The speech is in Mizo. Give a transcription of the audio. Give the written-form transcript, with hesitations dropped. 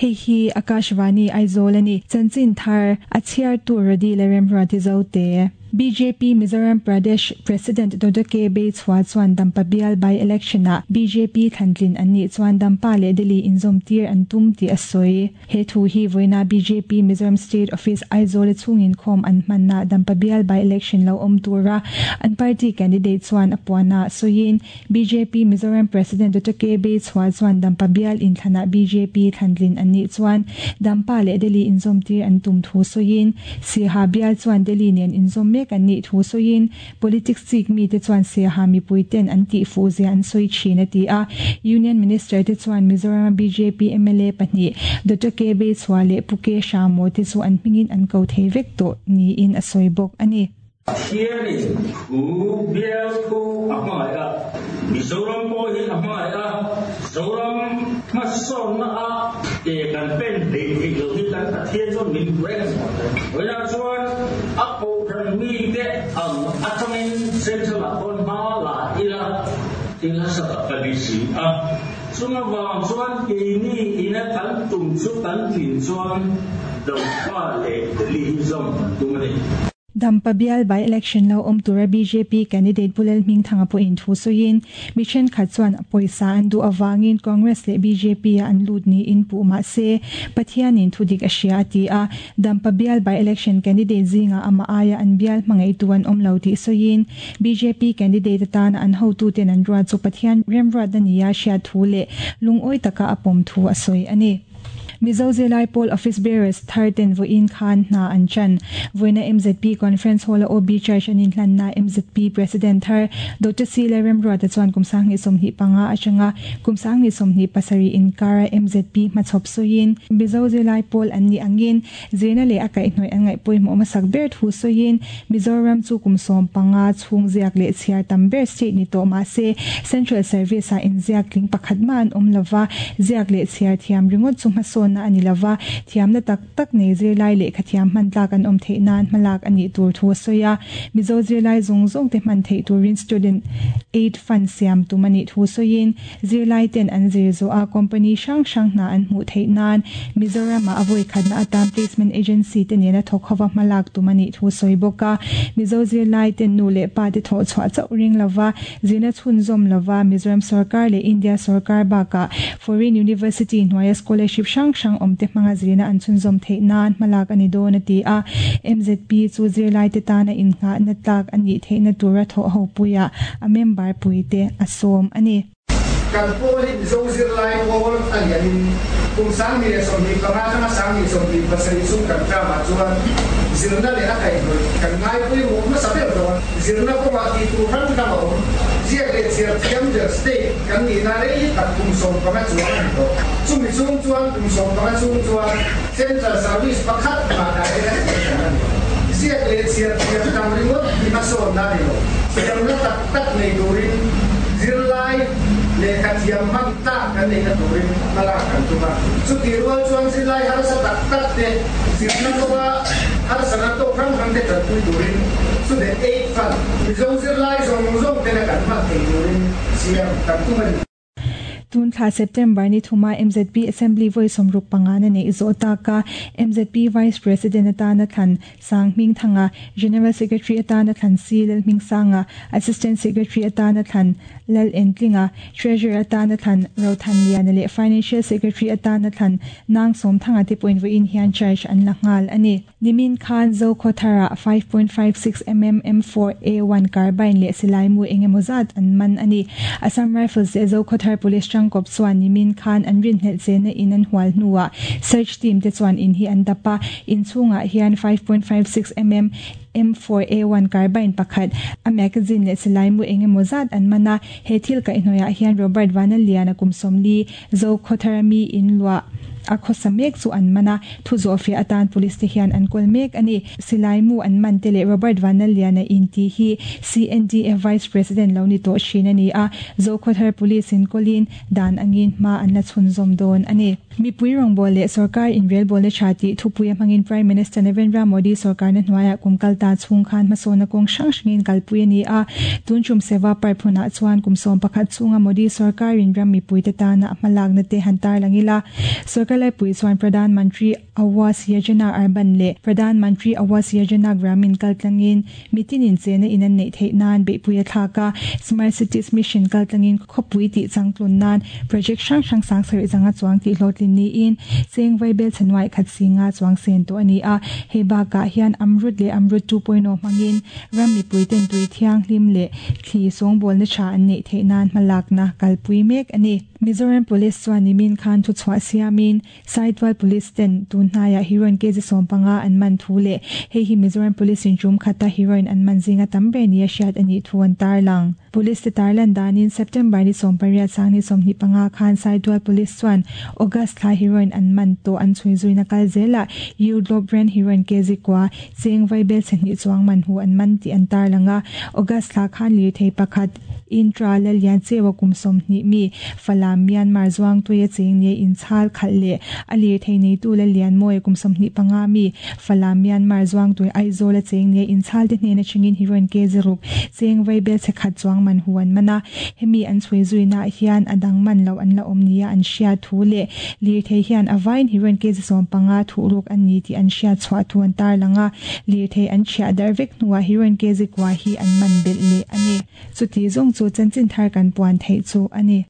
Hei hi Akashvani Aizawl a ni. Chanchin thar a chhiartu Rody Lalremruati Zote. Bjp Mizoram Pradesh President Dodoke Beichhua chuan Dampa bial by election ah bjp thlantlin an nih chuan Dampa leh Delhi inzawm tir an tum tih a sawi. He thu hi vawiina bjp Mizoram State Office Aizawl a chhung inkhawm an hmanna Dampa bial by election lo awm tura an party candidate chuan a puana sawiin Bjp Mizoram President Doctor KB Chhua chuan Dampa bial inthlanah bjp thlantlin an nih chuan Dampa leh Delhi inzawmtir an tum thu sawiin Siaha bial chuan Delhi nen inzawm mek an nih thu sawiin Politics chik mite chuan Siaha mipui ten an tih fuh zia an sawi thin a ti a. Union Minister te chuan Mizoram a bjp mla pahnih Doctor KB Chhua leh Pu K Hramo te chu an hmingin an ko thei vek tawh niin a sawi bawk a ni. Pathianin thu bial thu a hmangaih a, Mizoram pawh hi a hmangaih a, Zoram hmasawnna a ke kan pen hleih theih loh hi kan Pathian chuan min hmu reng a ni. Vawiinah chuan a kohhran mite ang atangin Central ah khawn hma la ila thil hasa tak ka ni si a, chung avang chuan keini ina kan tum chu kan tlin chuan Dampa leh Delhi hi zawm kan tum a ni. Dampa bial by election lo awm tura bjp candidate Pu Lalhmingthanga pawhin thu sawiin, mi thenkhat chuan pawisa an duh avangin Congress leh bjp ah an lut niin puh mah se, Pathianin thu dik a hria a ti a. Dampa bial by election candidate zingah amah aia an bial hmangaihtu an awm lo tih sawiin, bjp candidate atana an hotuten an ruat chu Pathian remruatna nia hriat thu leh lungawi taka a pawm thu a sawi a ni. Mizo Zirlai Pawl Office Bearers thar ten vawiin khan hna an chan. Vawiina mzp Conference Hall a OB Charge an inhlanna mzp President thar Doctor C Lalremruata chuan kum 2025 atanga kum 2027 inkara mzp hmachhawp sawiin Mizo Zirlai Pawl an nih angin zirna leh a kaihhnawih an ngaih pawimawh hmasak ber thu sawiin Mizoram chu kum 15 chhung ziak leh chhiar tam ber state ni tawh mah se Central Service ah inziak tling pakhat mah an awm lova, ziak leh chhiar thiam ringawt chu hmasawnna a ni lova, thiamna tak tak nei zirlai lehkha thiam hman tlak an awm theih nan hmalak a nih tur thu a sawi a. Mizo zirlai zawng zawng te hman theih turin Student Aid Fund siam tum a nih thu sawiin Zirlai ten an zir zawh a company hrang hrang hna an hmuh theih nan Mizoram ah a vawi khatna atan placement agency te nena thawk hova hmalak tum a nih thu sawi bawk a. Mizo zirlai ten nu leh pa te thawh chhuah chauh ring lova zirna chhunzawm lova Mizoram sorkar leh India sorkar bakah foreign university hnuaia scholarship hrang hrang awm te hmanga zirna an chhunzawm theih nan hmalak a ni dawn a ti a. MZP chu zirlai te tana innghahna tlak a nih theihna tura thawh ho puiah a member puite a sawm a ni. Kan pawl hi Mizo zirlai pawl a lianin kum 2025 atanga 2027 chung kan term ah chuan zirna leh a kaihhnawih kan ngaipawimawh hmasa ber dawn. Zirna kawngah tih tur hrang hrang a awm. Ziak leh chhiar thiam ber state kan nihna rei tak kum 15 chuang a ni tawh. Chumi chung chuan kum 15 chung chuan Central Service pakhat mah direct a kan a ni. Ziak leh chhiar thiam tam ringawt hi hmasawnna a ni lo. Thiamna tak tak nei turin zirlai lehkha thiam hman tlak kan neihna turin hmalak kan tum a. Chutih rual chuan zirlai harsa tak tak te zirna kawnga harsana tawk hrang hrang te tanpui turin Student Aid Fund Mizo zirlai zawng zawng tena kan hman thei turin siam kan tum a ni. Tun thla September ni thuma mzp Assembly vawi 65 na neih zawh taka mzp Vice President atana thlan Sang Hmingthanga, General Secretary atana thlan Si Lalhmingsanga, Assistant Secretary atana thlan Lal Entlinga, Treasurer atana thlan Rothanliana leh Financial Secretary atana thlan Nang Sawmthanga te pawhin vawiin hian charge an la nghal a ni. Nimin khan Zokhawtharah 5.56 mm M4 A1 carbine leh silaimu eng emaw zat an man a ni. Assam Rifles leh Zokhawthar Police tangkawp chuan nimin khan an rinhlelh chena in an hual hnuah search team te chuan in hi an dap a, in chhungah hian 5.56 mm M4 A1 carbine pakhat, a magazine leh silaimu eng emaw zat an man a. He thil kaihhnawihah hian Robert Vanaliana kum 40, Zokhawthara mi in luah a khawsa mek chu an man a, thu zawhfiah atan police te hian an kawl mek a ni. Silai mu an man te leh Robert Vanlalliana in tih hi CNDF Vice President lo ni tawh thin a ni a, Zokhawthar Police in kawlin dan angin hma an la chhunzawm dawn a ni. Mipui rawngbawl leh sorkar inrelbawlna tha tih thupui a hmangin Prime Minister Narendra Modi sorkarna hnuaiah kum kalta chhung khan hmasawnna kawng hrang hrangin kalpui a ni a. Tun tum Seva Parv hunah chuan kum 11 chhunga Modi sorkarin ram mipuite tana a hmalakna te han tarlang ila. Sorkar laipui chuan Pradhan Mantri Awas Yojana Urban leh Pradhan Mantri Awas Yojana Gramin kaltlangin mitinin chena in an neih theih nan beihpui a thlak a. Smart Cities Mission kaltlangin khawpui tih changtlun nan project hrang hrang sang sarih zanga chuang tih hlawhtlin niin cheng vaibel chhanuai khat singa chuang sen tawh a ni a. Hei bakah hian Amrut leh Amrut 2.0 hmangin ram mipui ten tui thianghlim leh thli sawngbawlna tha an neih theih nan hmalakna kalpui mek a ni. Mizoram Police chuan nimin khan thu chhuah siamin Saitual Police ten tun hnaiah heroin kg 15 an man thu leh hei hi Mizoram Police in tum khata heroin an man zinga tam ber ni a hriat a nih thu an tarlang. Police te tarlan danin September ni 18 sang ni 25 khan Saitual Police chuan August thla heroin an man tawh an chhui zuina kal zelah U brand heroin kg kwa cheng vaibel chhehnih chuang man hu an man tih an tarlang a. August thla khan lirthei pakhat intra la lian chewa kum 20 mi Falam Myanmar zuang tuia cheng ne in chhal khal le a lirthei nei tu la lian moi kum 25 mi Falam Myanmar zuang tui Aizawl a cheng ne in chhal te hnena chingin heroin kg ruk cheng vaibel chhekhat chuang man hu an mana. Hemi an chhui zuina hian adang man lo an la omnia an hria thu le lirthei hian avain heroin kg 15 thu ruk an ni ti an hria chhuah thu an tarlanga. Lirthei an chhia dar vek hnuah heroin kg kwa hi an man bel le ani. Chuti zong chu chanchin thar kan puan thei chu ani.